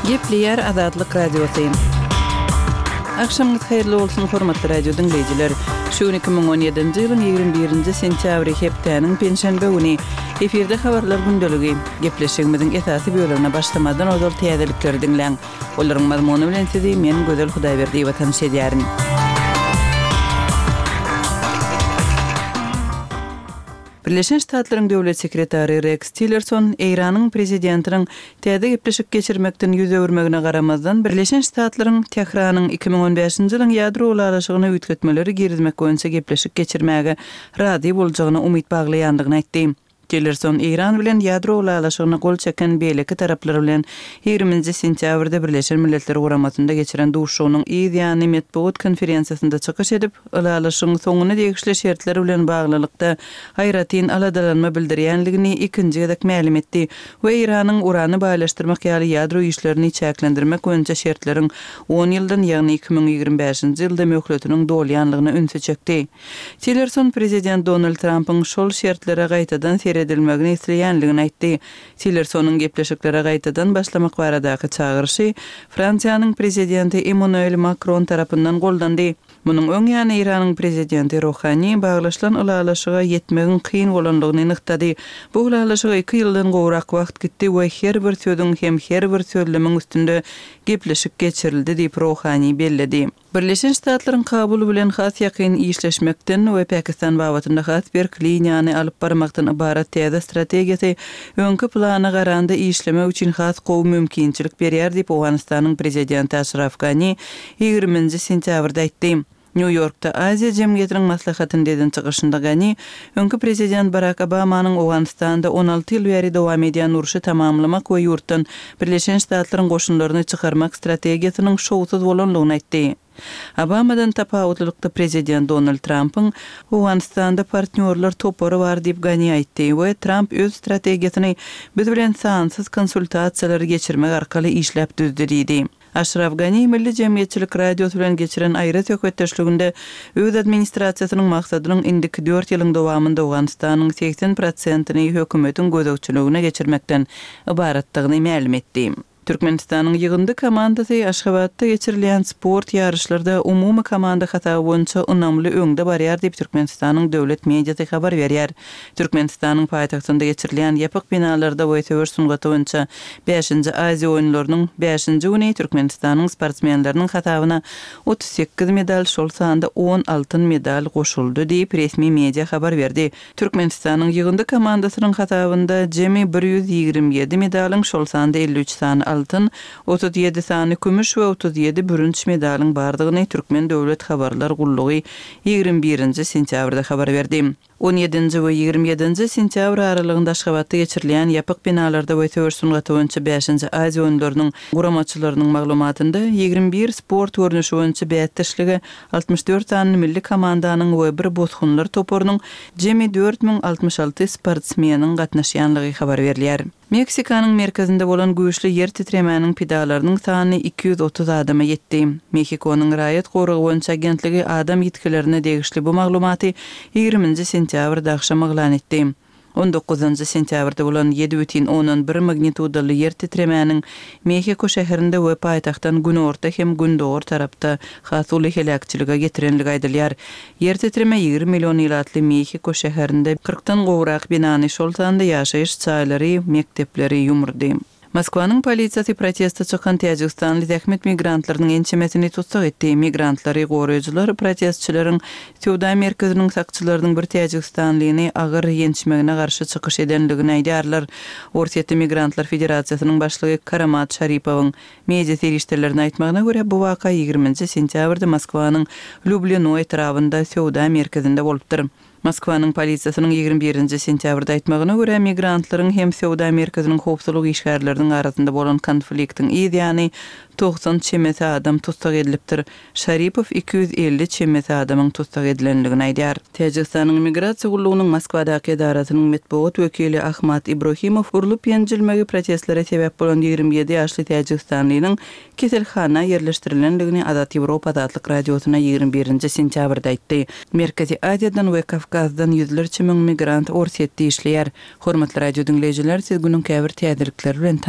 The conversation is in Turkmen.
Gepleýär Azatlyk Radiosy. Agşamyňyz haýyrly bolsun, hormatly radio diňleýjiler! Şu gün 2017-nji ýylyň 21-nji sentýabry, hepdäniň penşenbe güni. Efirde habarlar gündeligi. Gepleşigimiziň esasy bölegine başlamazdan ozal täzelikleri diňläň. Olaryň mazmuny bilen sizi men Gözel Hudaýberdiýewa tanyş edýärin. Birleşen Ştatlaryň Döwlet sekretary Reks Tillerson Eýranyň prezidentiniň täze gepleşik geçirmekden ýüz öwürmegine garamazdan, Birleşen Ştatlaryň Tähranyň 2015-nji ýylyň ýadro ylalaşygyna üýtgetmeleri girizmek boýunça gepleşik geçirmäge razy boljagyna umyt baglaýandygyny aýtdy. Tillerson Eýran bilen ýadro ylalaşygyna gol çeken beýleki taraplar bilen ýigriminji sentýabrda Birleşen Milletler Guramasynda geçiren duşuşygynyň yz ýany metbugat konferensiýasynda çykyş edip, ylalaşygyň soňuna degişli şertler bilen baglylykda aýratyn aladalanma bildirýänligini ikinji gezek mälim etdi we Eýranyň urany baýlaşdyrmak ýaly ýadro işlerini çäklendirmek boýunça şertleriň on ýyldan, ýagny 2025-nji ýylda möhletiniň dolýanlygyna ünsi çekdi. Tillerson prezident Donald Trampyň şol şertlere gaýtadan seredilmegini isleýänligini aýtdy. Tillersonyň gepleşiklere gaýtadan başlamak baradaky çagyryşy Fransiýanyň prezidenti Emmanuel Makron tarapyndan goldandy. Munuň öň ýany Eýranyň prezidenti Rohani baglaşylan ylalaşyga ýetmegiň kyn bolandygyny nygtady. Bu ylalaşyga iki ýyldan gowrak wagt gitdi we her bir sözüň hem her bir sözlemiň üstünde gepleşik geçirildi diýip, Rohani belledi. Birleşen Ştatlaryň Kabul bilen has ýakyn işleşmekden we Pakistan babatynda has berk liniýany alyp barmakdan ybarat täze strategiýasy öňki plana garanda işlemek üçin has gowy mümkinçilik berýär diýip, Owganystanyň prezidenti Aşraf Gani ýigriminji sentýabrda aýtdy. Nýu-Ýorkda Aziýa jemgyýetiniň maslahatynda eden çykyşynda Gani öňki prezident Barak Obamanyň Owganystanda 16 ýyl bäri dowam edýän urşy tamamlamak we ýurtdan Birleşen Ştatlaryň goşunlaryny çykarmak strategiýasynyň şowsuz bolandygyny aýtdy. Obamadan tapawutlylykda prezident Donald Trampyň Owganystanda partnýorlar topary bar diýip Gani aýtdy we Tramp öz strategiýasyny biz bilen sansyz konsultasiýalary geçirmek arkaly işläp düzdi diýdi. Aşraf Gani Milli jemgyýetçilik radiosy bilen geçiren aýry söhbetdeşliginde öz administrasiýasynyň maksadynyň indiki dört ýylyň dowamynda Owganystanyň 80 prosentini hökümetiň gözegçiligine geçirmekden ybaratdygyny mälim etdi. Türkmenistanyň ýygyndy komandasy Aşgabatda geçirilýän sport ýaryşlarda umumy komanda hasaby boýunça ynamly öňde barýar diýip Türkmenistanyň döwlet mediasy habar berýär. Türkmenistanyň paýtagtynda geçirilýän ýapyk binalarda we söweş sungaty boýunça bäşinji Aziýa oýunlarynyň bäşinji güni Türkmenistanyň sportsmenleriniň hasabyna 38 medal, şol sanda on altyn medal goşuldy diýip, resmi media habar berdi. Türkmenistanyň ýygyndy komandasynyň hasabynda jemi 127 medalyň, şol sanda 53 sany altyn, 37 sany kümüş we 37 bürünç medalyň bardygyny Türkmen döwlet habarlar gullugy ýigrimi birinji sentýabrda habar berdi. On ýedinji we 27-nji sentýabr aralygynda Aşgabatda geçirilýän ýapyk binalarda we söweş sungaty boýunça bäşinji Aziýa oýunlarynyň guramaçylarynyň maglumatynda, 21 sport görnüşi boýunça bäsdeşlige 64 sany milli komandanyň we bir bosgunlar toparynyň jemi 4066 sportsmeniň gatnaşýanlygy habar berilýär. Meksikanyň merkezinde bolan güýçli ýer titremäniň pidalarynyň sany 230 adama ýetdi. Mehikonyň raýat goragy boýunça agentligi adam ýitgilerine degişli bu maglumaty ýigriminji sentýabrda agşam yglan etdi. On dokuzynjy sentýabrda bolan ýedi bütin ondan bir magnitudaly ýer titremäniň Mehiko şäherinde we paýtagtdan günorta hem gündogar tarapda has uly heläkçilige getirenligi aýdylýar. Ýer titreme 20 million ilatly Mehiko şäherinde kyrkdan gowrak binany, şol sanda ýaşaýyş jaýlary, mekdepleri ýumurdy. Moskwanyň polisiýasy proteste çykan täjigistanly zähmet migrantlarynyň ençemesini tussag etdi. Migrantlary goraýjylar protestçileriň söwda merkeziniň sakçylarynyň bir täjigistanlyny agyr ýençmegine garşy çykyş edendigini aýdýarlar. Orsýetde Migrantlar federasiýasynyň başlygy Karamat Şaripowyň Media serişdeleriniň aýtmagyna görä, bu waka ýigriminji sentýabrda Moskwanyň Lýublino etrabynda söwda merkezinde bolupdyr. Moskwanyň polisiýasynyň 21-nji sentýabrda aýtmagyna görä, migrantlaryň hem söwda merkeziniň howpsuzlyk işgärleriniň arasynda bolan konfliktiň yz ýany 90 çemesi adam tussag edilipdir. Şaripow 250 çemesi adamyň tussag edilendigini aýdýar. Täjigistanyň Migrasiýa gullugynyň Moskwadaky edarasynyň metbugat wekili Ahmad Ibrohimow urlup-ýenjilmegi protestlere sebäp bolan 27 ýaşly täjigistanlynyň keselhana ýerleşdirilendigini Azat Ýewropa Azatlyk Radiosyna 21-nji sentýabrda aýtdy. Merkezi Aziýadan we Kawkazdan ýüzlerçe müň migrant Orsýetde işleýär. Hormatly radio diňleýjiler, siz günüň käbir täzelikleri bilen tanyşdyk.